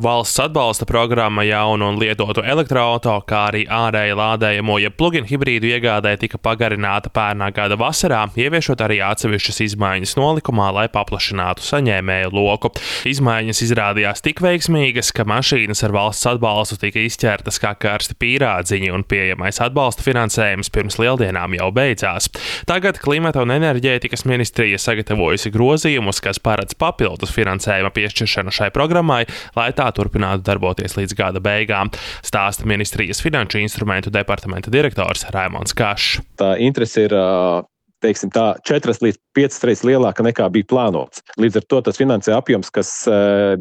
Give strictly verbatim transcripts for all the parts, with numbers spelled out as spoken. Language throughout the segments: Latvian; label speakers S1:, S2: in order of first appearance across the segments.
S1: Valsts atbalsta programma jaunu un lietotu elektroauto, kā arī ārēji lādējamo, ja plug-in hibrīdu iegādē tika pagarināta pērnā gada vasarā, ieviešot arī atsevišķas izmaiņas nolikumā, lai paplašinātu saņēmēju loku. Izmaiņas izrādījās tik veiksmīgas, ka mašīnas ar valsts atbalstu tika izķertas kā karsti pīrādziņi un pieejamais atbalsta finansējums pirms lieldienām jau beidzās. Tagad Klimata un enerģētikas ministrija sagatavojusi grozījumus, kas paredz papildus finansējuma piešķiršanu šai programmai, lai tā turpinātu darboties līdz gada beigām, stāsta ministrijas finanšu instrumentu departamenta direktors Raimonds Kašs.
S2: Tā interese ir, teiksim tā, četras līdz piecas reizes lielāka nekā bija plānots. Līdz ar to tas finansējuma apjoms, kas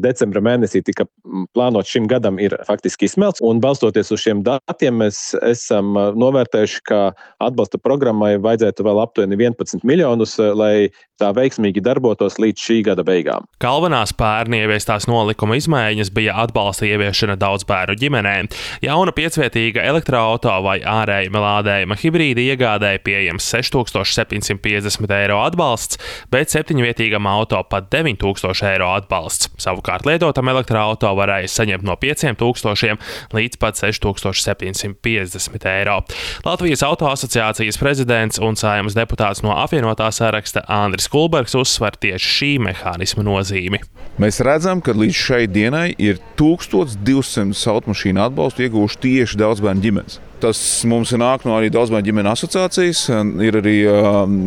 S2: decembra mēnesī tika plānots šim gadam, ir faktiski izsmelts. Un balstoties uz šiem datiem, mēs esam novērtējuši, ka atbalsta programmai vajadzētu vēl aptuveni vienpadsmit miljonus, lai tā veiksmīgi darbotos līdz šī gada beigām.
S1: Galvenās pērn ieviestās nolikuma izmaiņas bija atbalsta ieviešana daudzbērnu ģimenēm. Jauna piecvietīga elektroauto vai ārējuma lādējuma hibrīda iegādēja pieejams seši tūkstoši septiņsimt piecdesmit eiro atbalsts, bet septiņvietīgam auto pat deviņi tūkstoši eiro atbalsts. Savukārt lietotam elektroauto varēja saņemt no pieciem tūkstošiem līdz pat seši tūkstoši septiņsimt piecdesmit eiro. Latvijas auto asociācijas prezidents un Saeimas deputāts no apvienotā saraksta Andris Kulbergs uzsver tieši šī mehānisma nozīmi.
S3: Mēs redzam, ka līdz šai dienai ir tūkstoš divsimt automašīnu atbalstu ieguvuši tieši daudzbērnu ģimenes. Tas mums ir nāk no arī daudzbērnu ģimenu asociācijas, ir arī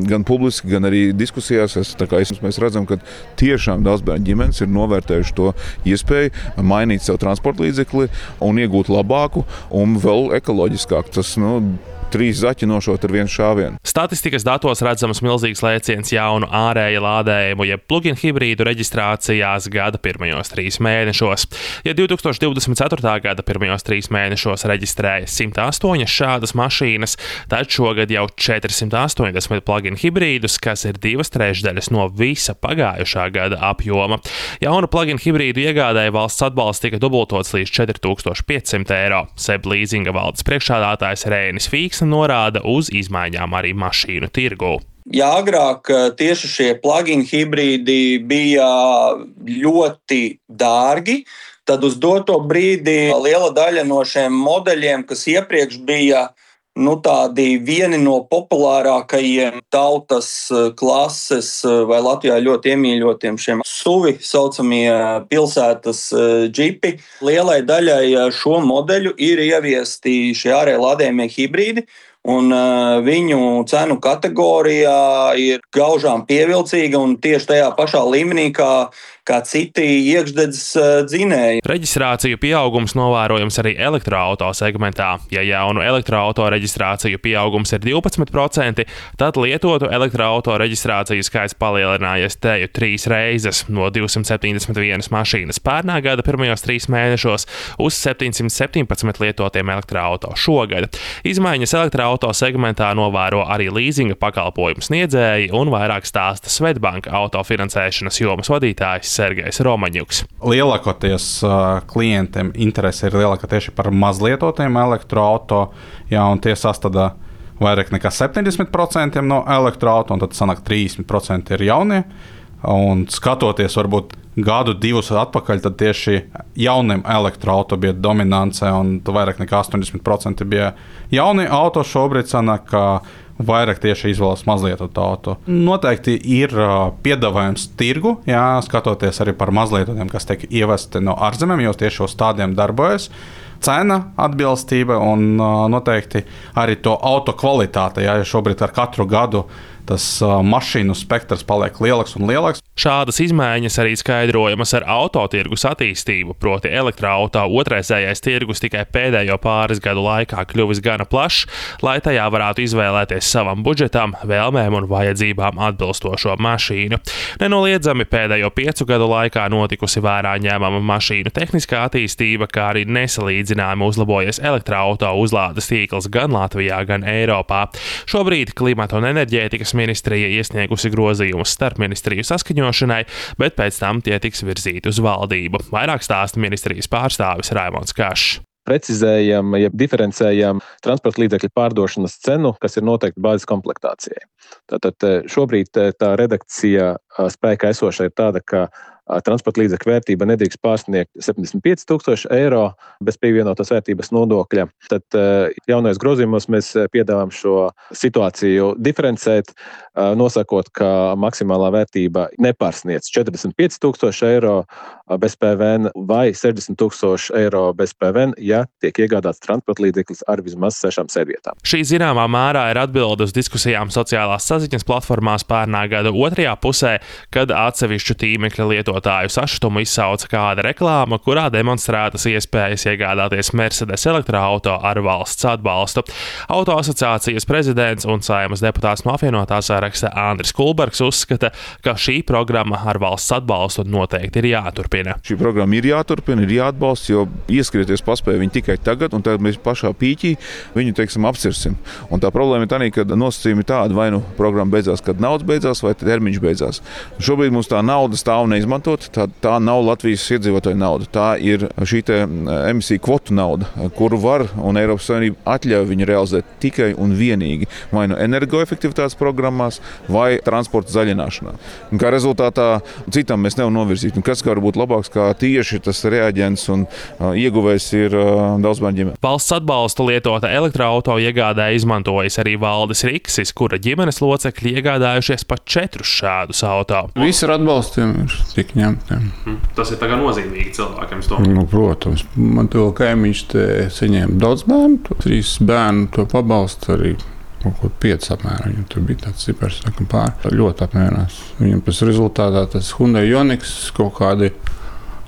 S3: gan publiski, gan arī diskusijās. Es, tā kā es, mēs redzam, ka tiešām daudzbērnu ģimenes ir novērtējuši to iespēju mainīt savu transporta līdzekli un iegūt labāku un vēl ekoloģiskāku. Tas, nu, trīs zaķi nošot ar vienu šāvienu.
S1: Statistikas datos redzams milzīgs lēciens jaunu ārēja lādējumu, jeb plug-in hibrīdu reģistrācijās gada pirmajos trīs mēnešos. Ja divi tūkstoši divdesmit ceturtā gada pirmajos trīs mēnešos reģistrēja simt astoņas šādas mašīnas, tad šogad jau četrsimt astoņdesmit plug-in hibrīdus, kas ir divas trešdaļas no visa pagājušā gada apjoma. Jaunu plug-in hibrīdu iegādēja valsts atbalsts tika dubultots līdz četri tūkstoši piecsimt eiro. Seb līzinga valdes priekšsēdētājs Rēnis Fīks norāda uz izmaiņām arī mašīnu tirgū.
S4: Ja agrāk tieši šie plug-in hibrīdi bija ļoti dārgi, tad uz doto brīdi liela daļa no šiem modeļiem, kas iepriekš bija nu, tādi vieni no populārākajiem tautas klases vai Latvijā ļoti iemīļotiem šiem suvi saucamie pilsētas džipi. Lielai daļai šo modeļu ir ieviesti šie ārēji lādējamie hibrīdi, un viņu cenu kategorijā ir gaužām pievilcīga un tieši tajā pašā līmenī, kā kā citi iekšdedzes dzinēji.
S1: Reģistrāciju pieaugums novērojams arī elektroauto segmentā. Ja jaunu elektroauto reģistrāciju pieaugums ir divpadsmit procenti, tad lietotu elektroauto reģistrāciju skaits palielinājies teju trīs reizes no divsimt septiņdesmit vienas mašīnas pērnā gada pirmajos trīs mēnešos uz septiņsimt septiņpadsmit lietotiem elektroauto šogad. Izmaiņas elektroauto segmentā novēro arī līzinga pakalpojumu sniedzēji un vairāk stāsta Swedbank autofinansēšanas jomas vadītājs Sergejs Romaņuks.
S5: Lielākoties uh, klientiem interese ir lielāka tieši par mazlietotiem elektroauto, jā, un tie sastādā vairāk nekā septiņdesmit procenti no elektroauto, un tad sanāk trīsdesmit procenti ir jaunie. Un skatoties varbūt gadu divus atpakaļ, tad tieši jauniem elektroauto bija dominance, un vairāk nekā astoņdesmit procenti bija jaunie auto. Šobrīd sanāk, ka vairāk tieši izvēlas mazlietotu auto. Noteikti ir uh, piedāvājums tirgu, jā, skatoties arī par mazlietotiem, kas tiek ievesti no ārzemēm, jo tieši uz tādiem darbojas. Cena, atbilstība un uh, noteikti arī to auto kvalitāte, jā, jo šobrīd ar katru gadu tas uh, mašīnu spektrs paliek lielāks un lielāks.
S1: Šādas izmaiņas arī skaidrojamas ar autotirgus attīstību, proti elektroauto otrreizējais tirgus tikai pēdējo pāris gadu laikā kļuvis gana plašs, lai tajā varētu izvēlēties savam budžetam, vēlmēm un vajadzībām atbilstošo mašīnu. Nenoliedzami pēdējo piecu gadu laikā notikusi vērā ņēmama mašīnu tehniskā attīstība, kā arī nesalīdzināmi uzlabojies elektroauto uzlādes tīkls gan Latvijā, gan Eiropā. Šobrīd Klimata un enerģētikas ministrija iesniegusi grozījumus starp ministriju saskaņošanai, bet pēc tam tie tiks virzīti uz valdību. Vairāk stāsta ministrijas pārstāvis Raimonds Kašs.
S2: Precizējam, ja diferencējam transporta līdzekļu pārdošanas cenu, kas ir noteikti bāzes komplektācijai. Tātad šobrīd tā redakcija spēkā esoša ir tāda, ka transporta līdzekļu vērtība nedrīkst pārsniegt septiņdesmit pieci tūkstoši eiro bez pievienotās vērtības nodokļa. Tad jaunais grozījumos mēs piedāvājam šo situāciju diferencēt, nosakot, ka maksimālā vērtība nepārsniedz četrdesmit pieci tūkstoši eiro bez P V N vai sešdesmit tūkstoši eiro bez P V N, ja tiek iegādāts transporta līdzeklis ar vismaz sešām sēdvietām.
S1: Šī zināmā mērā ir atbilde uz diskusijām sociālās saziņas platformās pērnā gada otrajā pusē, kad atsevišķu tīmekļa lietotāju sašutumu izsauca kāda reklāma, kurā demonstrētas iespējas iegādāties Mercedes elektroauto ar valsts atbalstu. Auto asociācijas prezidents un Saeimas deputāts no apvienotā saraksta Andris Kulbergs uzskata, ka šī programma ar valsts atbalstu noteikti ir jāturpina.
S3: Šī programma ir jāturpina, ir jāatbalsta, jo ieskrieties paspēja viņi tikai tagad, un tagad mēs pašā pīķī viņu, teiksim, apcirsim. Un tā problēma ir tā, ka nosacījumi ir tādi, vai nu programma beidzās, kad naudas beidzās, vai termiņš beidzās. Šobrīd mums tā nauda stāv neizmantot, tā, tā nav Latvijas iedzīvotāju nauda. Tā ir šī te emisiju kvotu nauda, kuru var un Eiropas Savienība atļauj viņu realizēt tikai un vienīgi vai nu energoefektivitātes programmās, vai transporta zaļināšanā. Un kā rezultātā citam mēs nevaram novirzīt. Un kas var būt labāks, kā tieši tas reaģents un uh, ieguvējs ir uh, daudzbērnu ģimene.
S1: Valsts atbalstu lietota elektroauto iegādē izmantojas arī Valdis Riksis, kura ģimenes locekļi iegādājušies pat četrus šādus auto.
S6: Visi ar atbalstiem ir tik ņemtiem.
S1: Tas ir tagad nozīmīgi cilvēkiem.
S6: Nu, protams, man to kaimiņš te saņēma daudz bērnu, trīs bērnu to pabalstu arī. Kaut ko pieci apmēram, viņam tur bija tāds cipars, sakam, pār. Ļoti apmierinās. Viņam pēc rezultātā tas Hyundai Ioniq kaut kādi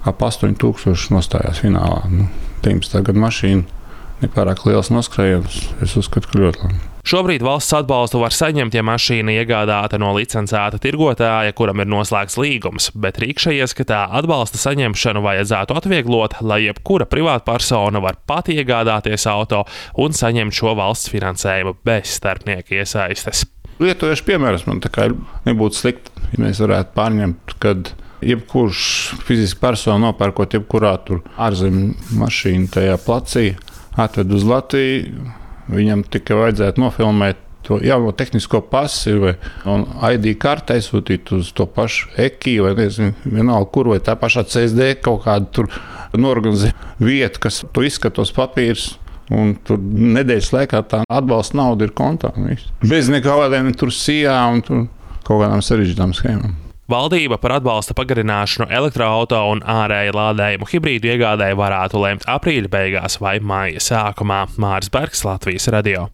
S6: ap astoņi tūkstoši nostājās finālā. Nu, deviņpadsmitā gada mašīna, nepārāk liels noskrējiens. Es uzskatu, ka ļoti labi.
S1: Šobrīd valsts atbalstu var saņemt, ja mašīna iegādāta no licencēta tirgotāja, kuram ir noslēgts līgums, bet Rikša ieskatā atbalsta saņemšanu vajadzētu atvieglot, lai jebkura privātpersona var pat iegādāties auto un saņemt šo valsts finansējumu bez starpnieku iesaistes.
S6: Lietojuši piemērs man tā kā nebūtu slikti, ja mēs varētu pārņemt, kad jebkurš fiziski persona nopērkot jebkurā tur ārzemju mašīnu tajā placī, atved uz Latviju. Viņam tikai vajadzētu nofilmēt to jauno tehnisko pasi vai I D karti aizsūtīt uz to pašu Eki vai nezinu, vienalga kur, vai tā pašā C S D kaut kādu tur norganizē vietu, kas tu izskatos papīrs. Un tur nedēļas laikā tā atbalsta nauda ir kontā. Bez nekādiem tur sijā un tur kaut kādām sarežģītām schēmām.
S1: Valdība par atbalsta pagarināšanu elektroauto un ārēju lādējumu hibrīdu iegādēji varētu lemt aprīļa beigās vai maija sākumā. Māris Bergs, Latvijas radio.